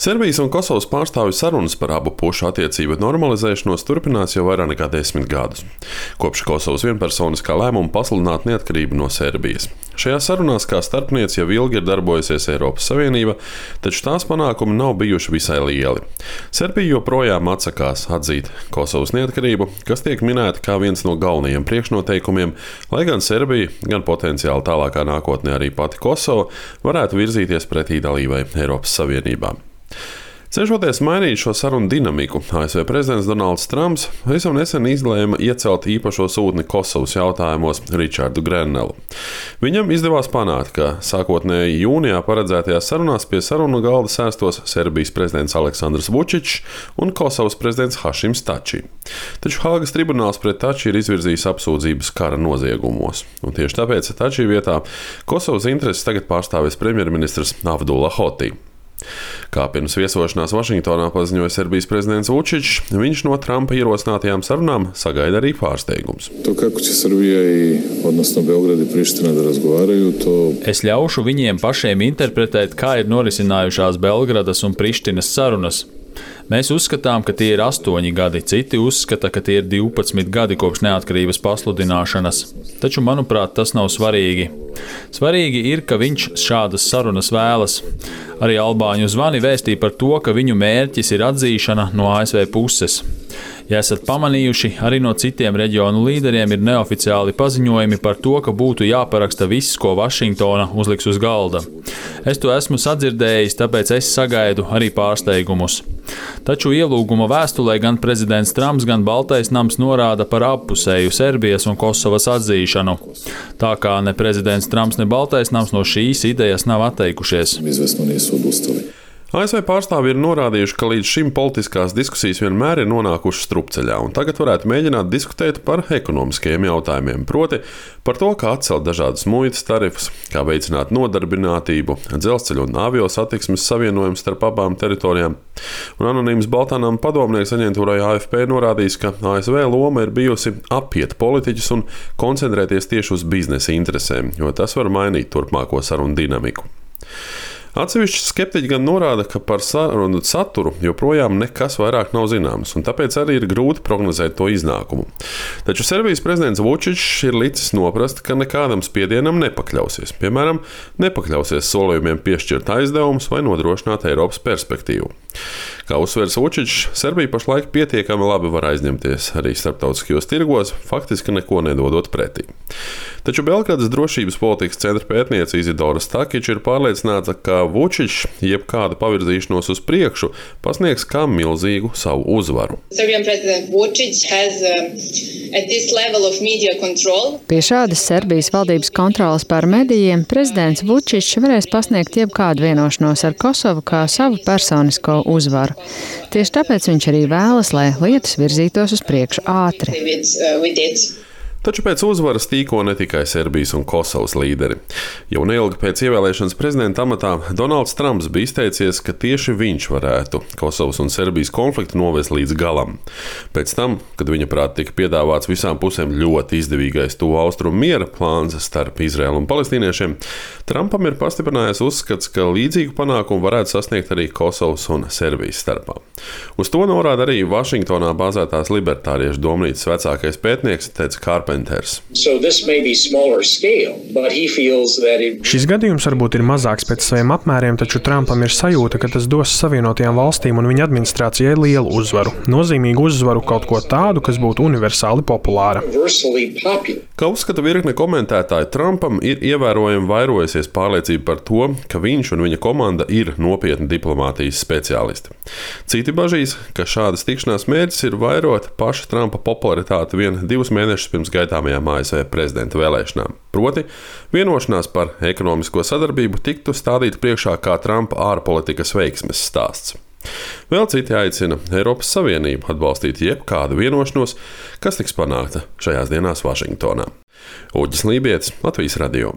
Serbijas un Kosovas pārstāvju sarunas par abu pušu attiecību normalizēšanos turpinās jau vairāk nekā 10 gadus, kopš Kosovas vienpersoniskā lēmuma pasludināt neatkarību no Serbijas. Šajās sarunās kā starpniece jau ilgi ir darbojusies Eiropas Savienība, taču tās panākumi nav bijuši visai lieli. Serbija joprojām atsakās atzīt Kosovas neatkarību, kas tiek minēta kā viens no galvenajiem priekšnoteikumiem, lai gan Serbija, gan potenciāli tālākā nākotnē arī pati Kosova varētu virzīties pretī dalībai Eiropas Savienībā. Cenšoties mainīt šo sarunu dinamiku, ASV prezidents Donalds Trumps visam nesen izlēma iecelt īpašo sūtni Kosovas jautājumos Richardu Grenelu. Viņam izdevās panākt, ka sākotnēji jūnijā paredzētajās sarunās pie sarunu galda sēstos Serbijas prezidents Aleksandrs Vučičs un Kosovas prezidents Hašims Tači. Taču Hāgas tribunāls pret Tači ir izvirzījis apsūdzības kara noziegumos, un tieši tāpēc Tači vietā Kosovas intereses tagad pārstāvēs premjerministrs Avdula Hoti. Kā pirms viesošanās Vašingtonā paziņoja Serbijas prezidents Vučičs, viņš no Trumpa ierosinātajām sarunām sagaida arī pārsteigums. Es ļaušu viņiem pašiem interpretēt, kā ir norisinājušās Belgradas un Prištinas sarunas. Mēs uzskatām, ka tie ir 8 gadi, citi uzskata, ka tie ir 12 gadi kopš neatkarības pasludināšanas. Taču, manuprāt, tas nav svarīgi. Svarīgi ir, ka viņš šādas sarunas vēlas. Arī albāņu zvani vēstīja par to, ka viņu mērķis ir atzīšana no ASV puses. Ja esat pamanījuši, arī no citiem reģionu līderiem ir neoficiāli paziņojumi par to, ka būtu jāparaksta viss, ko Vašingtona uzliks uz galda. Es to esmu sadzirdējis, tāpēc es sagaidu arī pārsteigumus. Taču ielūguma vēstulē gan prezidents Trumps, gan Baltais nams norāda par appusēju Serbijas un Kosovas atzīšanu. Tā kā ne prezidents Trumps, ne Baltais nams no šīs idejas nav atteikušies. ASV pārstāvji ir norādījuši, ka līdz šim politiskās diskusijas vienmēr ir nonākušas strupceļā, un tagad varētu mēģināt diskutēt par ekonomiskajiem jautājumiem, proti par to, kā atcelt dažādas muitas tarifus, kā veicināt nodarbinātību, dzelzceļu un avio satiksmes savienojumu starp abām teritorijām. Un anonīms Baltānam padomnieks aģentūrai AFP norādījis, ka ASV loma ir bijusi apiet politiķus un koncentrēties tieši uz biznesa interesēm, jo tas var mainīt turpmāko sarunu dinamiku. Atsevišķi skeptiķi gan norāda, ka par sarunu saturu joprojām nekas vairāk nav zināms, un tāpēc arī ir grūti prognozēt to iznākumu. Taču Serbijas prezidents Vučičs ir licis noprast, ka nekādam spiedienam nepakļausies. Piemēram, nepakļausies solījumiem piešķirt aizdevumus vai nodrošināt Eiropas perspektīvu. Kā uzsvers Vučičs, Serbija pašlaik pietiekami labi var aizņemties arī starptautiskajos tirgos, faktiski neko nedodot pretī. Taču Belgradas drošības politikas centra pētniece Izidora Stakiča ir pārliecināta, ka Vučičs jebkādu pavirzīšanos uz priekšu pasniegs kā milzīgu savu uzvaru. Pie šādas Serbijas valdības kontrolas pār medijiem prezidents Vučičs varēs pasniegt jebkādu vienošanos ar Kosovu kā savu personisko uzvaru. Tieši tāpēc viņš arī vēlas, lai lietas virzītos uz priekšu ātri. Taču pēc uzvaras tīko ne tikai Serbijas un Kosovas līderi. Jau neilgi pēc ievēlēšanas prezidenta amatā Donalds Trumps bija izteicies, ka tieši viņš varētu Kosovas un Serbijas konfliktu novest līdz galam. Pēc tam, kad viņa prāt tika piedāvāts visām pusēm ļoti izdevīgais tuvu austrumu miera plāns starp Izraēlu un palestīniešiem, Trumpam ir pastiprinājies uzskats, ka līdzīgu panākumu varētu sasniegt arī Kosovas un Serbijas starpā. Uz to norāda arī Vašingtonā bāzētās libertāriešu domnīcas vecākais pētnieks Teds Karpenters. Šis gadījums varbūt ir mazāks pēc saviem apmēriem, taču Trumpam ir sajūta, ka tas dos Savienotajām valstīm un viņa administrācijai lielu uzvaru. Nozīmīgu uzvaru, kaut ko tādu, kas būtu universāli populāra. Kā uzskata virkne komentētāji, Trumpam ir ievērojami vairojusies pārliecība par to, ka viņš un viņa komanda ir nopietni diplomātijas speciālisti. Citi bažīs, ka šādas tikšanās mērķis ir vairot paša Trumpa popularitāti vien 2 mēnešus pirms gaidāmajām ASV prezidenta vēlēšanām. Proti, vienošanās par ekonomisko sadarbību tiktu stādīta priekšā kā Trumpa ārpolitikas veiksmes stāsts. Vēl citi aicina Eiropas Savienību atbalstīt jebkādu vienošanos, kas tiks panākta šajās dienās Vašingtonā. Uģis Lībietis, Latvijas radio.